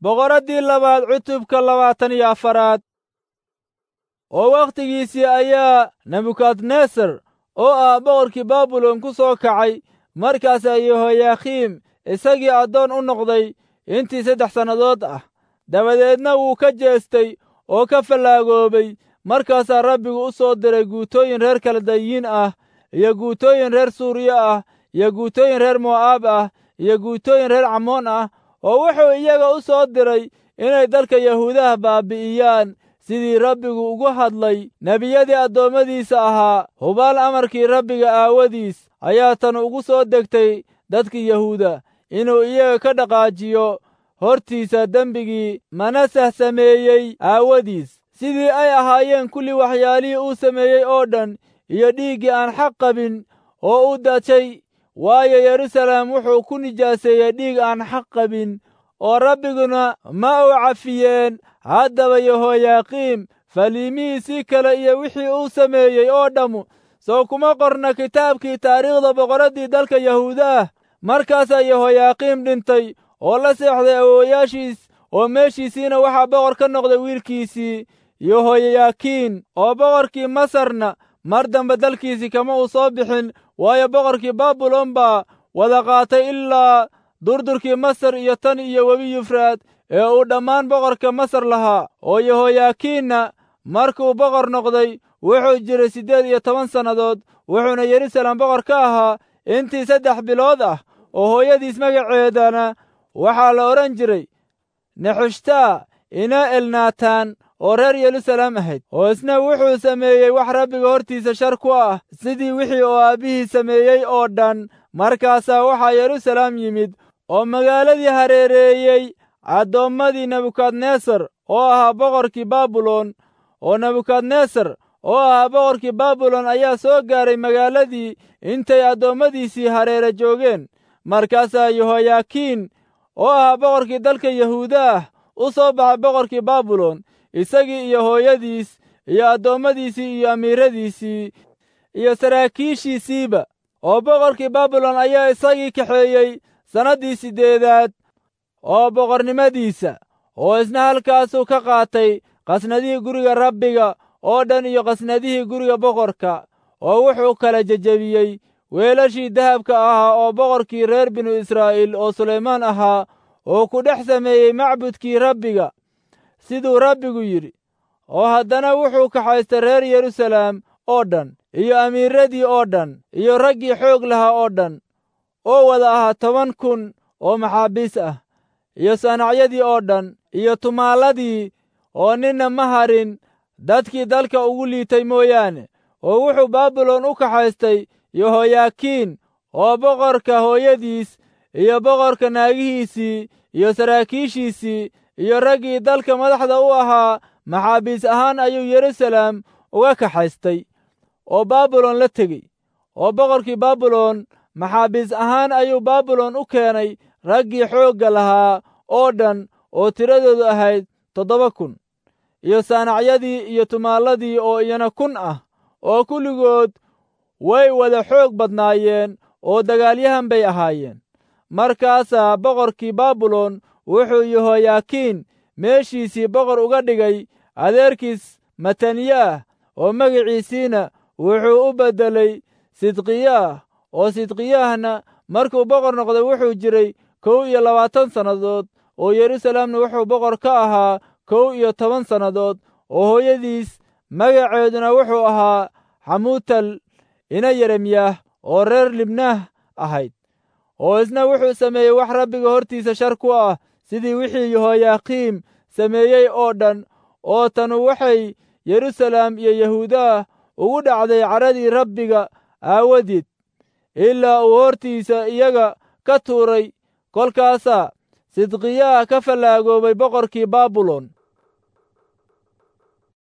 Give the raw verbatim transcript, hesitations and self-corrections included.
Boqoraddii labaad cutubka labaatan iyo afaraad. Oo wakhtigiisii ayaa Nebukadnesar oo ah boqorkii Baabilon ku soo kacay. Markaasaa Yehoyakiim isagii addoon u noqday intii saddex sannadood ah. Dabadeedna wuu ka jeestay oo ka fallaagoobay. Markaasaa Rabbigu u soo diray guutooyin reer Kaldayiin ah, iyo guutooyin reer Suuriya ah, iyo guutooyin reer Mo'aab ah, iyo guutooyin reer Camoon ah, oo wuxuu iyaga u soo diray inay dalka Yahuudaha baabi'iyaan, sidii Rabbigu ugu hadlay nebiyadii addoommadiisa ahaa. Hubaal amarkii Rabbiga aawadiis ayaa tan ugu soo degtay dadkii Yahuuda, inuu iyaga ka dhaqaajiyo hortiisa dembigii Manaseh sameeyey aawadiis, sidii ay ahaayeen kulli waxyaalihii uu sameeyey oo dhan iyo dhiiggii aan xaq qabin oo u daajay. Waayo, Yeruusaalem wuxuu ku nijaaseeyey dhiig aan xaq qabin, oo Rabbiguna ma uu cafiyeen. Haddaba Yehoyaaqiim faliimihiisii kale iyo wixii uu sameeyey oo dhammu soo kuma qorna kitaabkii taariikhda boqoraddii dalka Yahuuda ah. Markaasaa Yehoyaaqiim dhintay oo la seexday awoowayaashiis, oo meeshiisiina waxaa boqor ka noqday wiilkiisii Yehoyaakiin. Oo boqorkii Masarna mar dambe dalkiisii kama uu soo bixin, waayo, boqorkii Baabilon baa wada qaatay ilaa durdurkii Masar iyo tan iyo webi Yufraad ee uu dhammaan boqorka Masar lahaa. Oo Yehoyaakiinna markuu boqor noqday wuxuu jiray siddeed iyo toban sannadood, wuxuuna Yeruusaalem boqor ka ahaa intii saddex bilood ah. Oo hooyadiis magaceedana waxaa la odhan jiray Nexushtaa ina Elnaataan oo reer Yeruusaalem ahayd. Oo isna wuxuu sameeyey wax Rabbiga hortiisa shar ku ah, sidii wixii oo aabbihii sameeyey oo dhan. Markaasaa waxaa Yeruusaalem yimid oo magaaladii hareereeyey addoommadii Nebukadnesar oo ahaa boqorkii Baabilon. Oo Nebukadnesar oo ahaa boqorkii Baabilon ayaa soo gaaray magaaladii intay addoommadiisii hareere joogeen. Markaasaa Yehoyaakiin oo ahaa boqorkii dalka Yahuuda ah u soo baxay boqorkii Baabilon, isagii iyo hooyadiis iyo addoommadiisii iyo amiiradiisii iyo saraakiishiisiiba. Oo boqorkii Baabilon ayaa isagii kaxeeyey sannaddii siddeedaad oo boqornimadiisa, oo isna halkaasuu ka qaatay qasnadihii guriga Rabbiga oo dhan iyo qasnadihii guriga boqorka. Oo wuxuu kala jejebiyey weelashii dahabka ahaa oo boqorkii reer binu Israa'iil oo Sulaymaan ahaa oo ku dhex sameeyey macbudkii Rabbiga, siduu Rabbigu yidhi. Oo haddana wuxuu kaxaystay reer Yeruusaalem oo dhan iyo amiiradii oo dhan iyo raggii xoog lahaa oo dhan, oo wada ahaa toban kun oo maxaabiis ah, iyo sanacyadii oo dhan iyo tumaalladii, oo ninna ma harin dadkii dalka ugu liitay mooyaane. Oo wuxuu Baabilon u kaxaystay Yehoyaakiin oo boqorka hooyadiis iyo boqorka naagihiisii iyo saraakiishiisii iyo raggii dalka madaxda u ahaa maxaabiis ahaan ayuu Yeruusaalem uga kaxaystay oo Baabilon la tegey. Oo boqorkii Baabilon maxaabiis ahaan ayuu Baabilon u keenay raggii xoogga lahaa oo dhan oo tiradoodu ahayd toddoba kun, iyo saanacyadii iyo tumaalladii oo iyana kun ah, oo kulligood way wada xoog badnaayeen oo dagaalyahan bay ahaayeen. Markaasaa boqorkii Baabilon wuxuu Yehoyaakiin meeshiisii boqor uga dhigay adeerkiis Mataniyaah, oo magiciisiina wuxuu u beddelay Sidqiyaah. Oo Sidqiyaahna markuu boqor noqday wuxuu jiray kow iyo labaatan sannadood, oo Yeruusaalemna wuxuu boqor ka ahaa kow iyo toban sannadood. Oo hooyadiis magaceeduna wuxuu ahaa Xamuutal ina Yeremyaah oo reer Libnaah ahayd. Oo isna wuxuu sameeyey wax Rabbiga hortiisa shar ku ah, sidii wixii Yehoyaaqiim sameeyey oo dhan. Oo tanu waxay Yeruusaalem iyo Yahuudaah ugu dhacday caradii Rabbiga aawadeed, ilaa uu hortiisa iyaga ka tuuray. Kolkaasaa Sidqiyaah ka fallaagoobay boqorkii Baabilon.